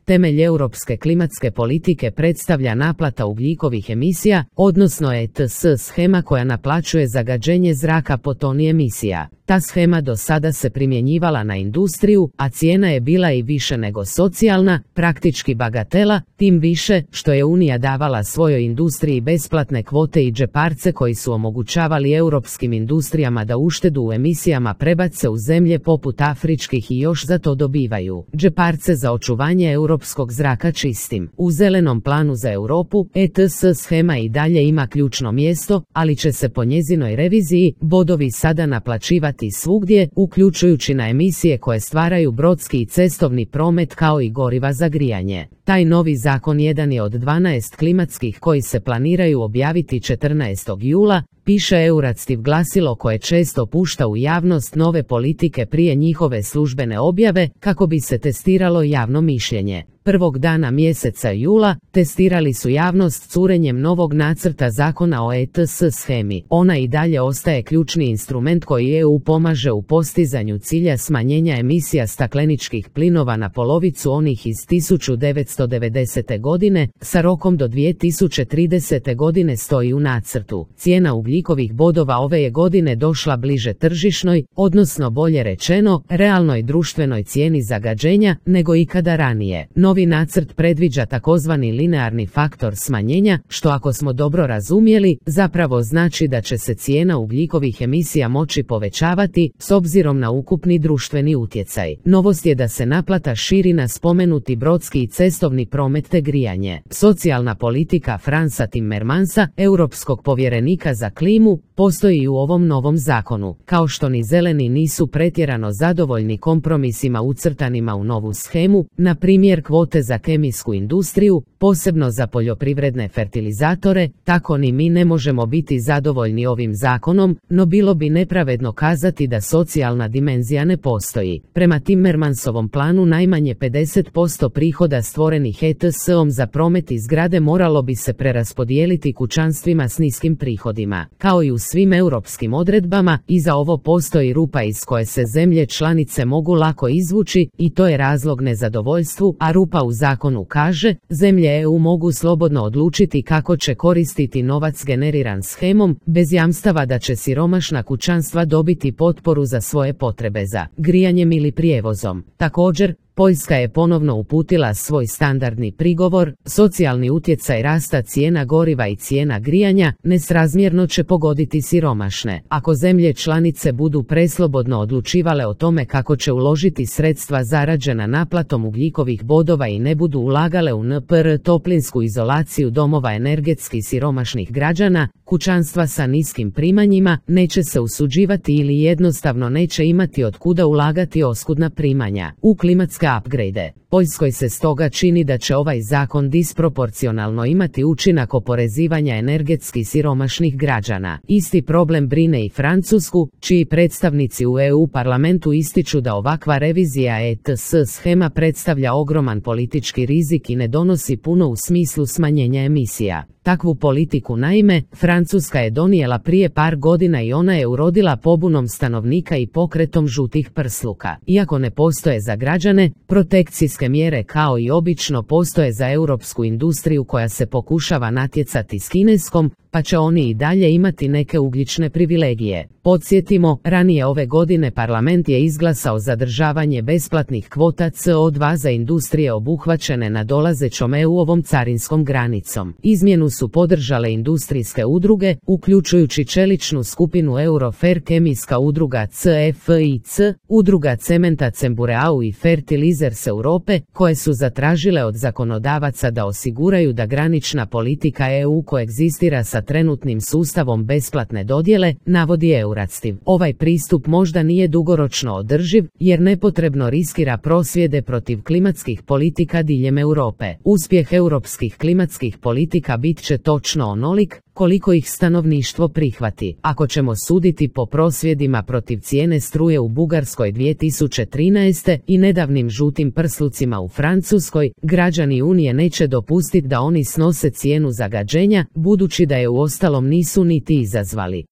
Temelj europske klimatske politike predstavlja naplata ugljikovih emisija, odnosno ETS shema koja naplaćuje zagađenje zraka po toni emisija. Ta shema do sada se primjenjivala na industriju, a cijena je bila i više nego socijalna, praktički bagatela, tim više što je Unija davala svojoj industriji besplatne kvote i džeparce koji su omogućavali europskim industrijama da uštedu u emisijama prebace u zemlje poput afričkih i još za to dobivaju džeparce za očuvanje europskog zraka čistim. U zelenom planu za Europu ETS shema i dalje ima ključno mjesto, ali će se po njezinoj reviziji bodovi sada naplaćivati svugdje, uključujući na emisije koje stvaraju brodski i cestovni promet kao i goriva za grijanje. Taj novi zakon jedan je od 12 klimatskih koji se planiraju objaviti 14. jula, piše Euractiv glasilo koje često pušta u javnost nove politike prije njihove službene objave kako bi se testiralo javno mišljenje. Prvog dana mjeseca jula testirali su javnost curenjem novog nacrta zakona o ETS shemi. Ona i dalje ostaje ključni instrument koji EU pomaže u postizanju cilja smanjenja emisija stakleničkih plinova na polovicu onih iz 1990. godine, sa rokom do 2030. godine stoji u nacrtu. Cijena ugljikovih bodova ove je godine došla bliže tržišnoj, odnosno bolje rečeno, realnoj društvenoj cijeni zagađenja nego ikada ranije. Novi nacrt predviđa takozvani linearni faktor smanjenja, što ako smo dobro razumjeli, zapravo znači da će se cijena ugljikovih emisija moći povećavati s obzirom na ukupni društveni utjecaj. Novost je da se naplata širi na spomenuti brodski i cestovni promet te grijanje. Socijalna politika Fransa Timmermansa, europskog povjerenika za klimu, postoji i u ovom novom zakonu. Kao što ni zeleni nisu pretjerano zadovoljni kompromisima ucrtanima u novu shemu, na primjer kvote za kemijsku industriju, posebno za poljoprivredne fertilizatore, tako ni mi ne možemo biti zadovoljni ovim zakonom, no bilo bi nepravedno kazati da socijalna dimenzija ne postoji. Prema Timmermansovom planu najmanje 50% prihoda stvorenih ETS-om za promet i zgrade moralo bi se preraspodijeliti kućanstvima s niskim prihodima. Kao i u svim europskim odredbama, i za ovo postoji rupa iz koje se zemlje članice mogu lako izvući i to je razlog nezadovoljstvu, a rupa u zakonu kaže, zemlje EU mogu slobodno odlučiti kako će koristiti novac generiran shemom, bez jamstava da će siromašna kućanstva dobiti potporu za svoje potrebe za grijanjem ili prijevozom. Također, Poljska je ponovno uputila svoj standardni prigovor, socijalni utjecaj rasta cijena goriva i cijena grijanja nesrazmjerno će pogoditi siromašne. Ako zemlje članice budu preslobodno odlučivale o tome kako će uložiti sredstva zarađena naplatom ugljikovih bodova i ne budu ulagale u NPR toplinsku izolaciju domova energetski siromašnih građana, kućanstva sa niskim primanjima, neće se usuđivati ili jednostavno neće imati od kuda ulagati oskudna primanja u klimatske upgrade. Poljskoj se stoga čini da će ovaj zakon disproporcionalno imati učinak oporezivanja energetski siromašnih građana. Isti problem brine i Francusku, čiji predstavnici u EU parlamentu ističu da ovakva revizija ETS shema predstavlja ogroman politički rizik i ne donosi puno u smislu smanjenja emisija. Takvu politiku naime, Francuska je donijela prije par godina i ona je urodila pobunom stanovnika i pokretom žutih prsluka. Iako ne postoje za građane, protekcijske mjere kao i obično postoje za europsku industriju koja se pokušava natjecati s kineskom, pa će oni i dalje imati neke ugljične privilegije. Podsjetimo, ranije ove godine parlament je izglasao zadržavanje besplatnih kvota CO2 za industrije obuhvaćene nadolazećom EU-ovom carinskom granicom. Izmjenu su podržale industrijske udruge, uključujući čeličnu skupinu Eurofer, kemijska udruga CFIC, udruga cementa Cembureau i Fertilizers Europe, koje su zatražile od zakonodavaca da osiguraju da granična politika EU koegzistira sa trenutnim sustavom besplatne dodjele, navodi Euractiv. Ovaj pristup možda nije dugoročno održiv, jer nepotrebno riskira prosvjede protiv klimatskih politika diljem Europe. Uspjeh europskih klimatskih politika bit će točno onolik koliko ih stanovništvo prihvati. Ako ćemo suditi po prosvjedima protiv cijene struje u Bugarskoj 2013. i nedavnim žutim prslucima u Francuskoj, građani Unije neće dopustiti da oni snose cijenu zagađenja, budući da je uostalom nisu niti izazvali.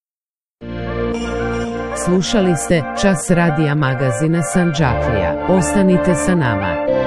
Slušali ste Čas radija magazina Sandžaklija. Ostanite sa nama.